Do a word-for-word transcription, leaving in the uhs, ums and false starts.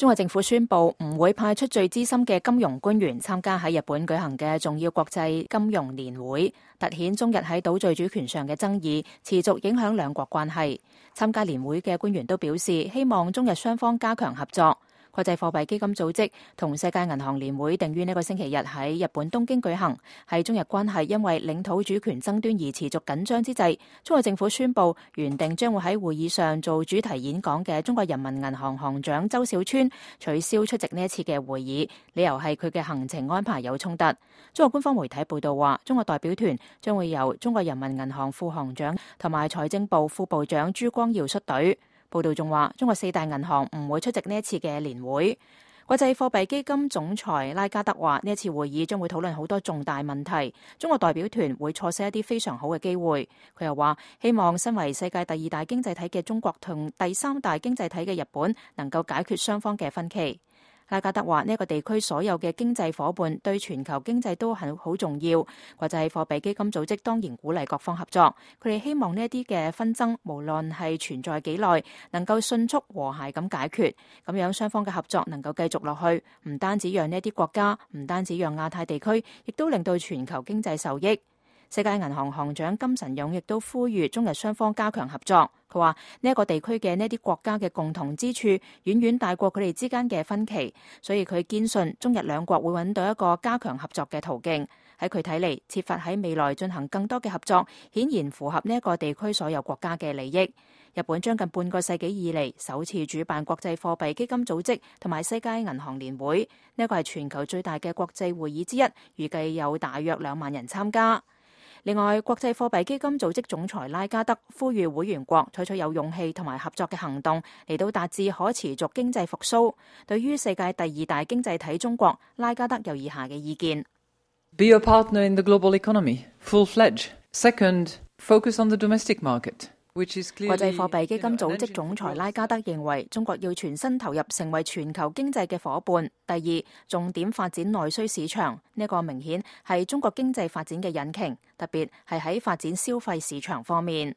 中國政府宣布唔會派出最資深嘅金融官員參加喺日本舉行嘅重要國際金融年會，凸顯中日喺島嶼主權上嘅爭議持續影響兩國關係。參加年會嘅官員都表示，希望中日雙方加強合作。國際貨幣基金組織同世界銀行年會定於呢個星期日喺日本東京舉行，係中日關係因為領土主權爭端而持續緊張之際，中國政府宣布原定將會喺會議上做主題演講嘅中國人民銀行行長周小川取消出席呢一次嘅會議，理由係佢嘅行程安排有衝突。中國官方媒體報道話，中國代表團將會由中國人民銀行副行長同埋財政部副部長朱光耀率隊。報道仲話，中國四大銀行唔會出席呢一次嘅年會。國際貨幣基金總裁拉加德話，呢一次會議將會討論好多重大問題，中國代表團會錯失一啲非常好嘅機會。佢又話，希望身為世界第二大經濟體嘅中國同第三大經濟體嘅日本能夠解決雙方嘅分歧。拉加德話，呢一個地區所有嘅經濟夥伴對全球經濟都很好重要。國際貨幣基金組織當然鼓勵各方合作，佢哋希望呢一啲嘅紛爭，無論係存在幾耐，能夠迅速和諧咁解決，咁樣雙方嘅合作能夠繼續落去，唔單止讓呢一啲國家，唔單止讓亞太地區，亦都令到全球經濟受益。世界銀行行長金神勇亦都呼籲中日雙方加強合作。佢話呢一個地區嘅呢啲國家嘅共同之處遠遠大過佢哋之間嘅分歧，所以佢堅信中日兩國會揾到一個加強合作嘅途徑。喺佢睇嚟，設法喺未來進行更多嘅合作，顯然符合呢一個地區所有國家嘅利益。日本將近半個世紀以嚟首次主辦國際貨幣基金組織同埋世界銀行年會，呢一個係全球最大嘅國際會議之一，預計有大約兩萬人參加。另外，國際貨幣基金組織總裁拉加德呼籲會員國採取有勇氣同埋合作嘅行動，嚟到達至可持續經濟復甦。對於世界第二大經濟體中國，拉加德有以下嘅意見。Be a partner in the global economy, full-fledged. Second, focus on the domestic market. 國際貨幣基金組織總裁拉加德認為，中國要全身投入成為全球經濟嘅夥伴。第二，重點發展內需市場，呢個明顯係中國經濟發展嘅引擎，特別係喺發展消費市場方面。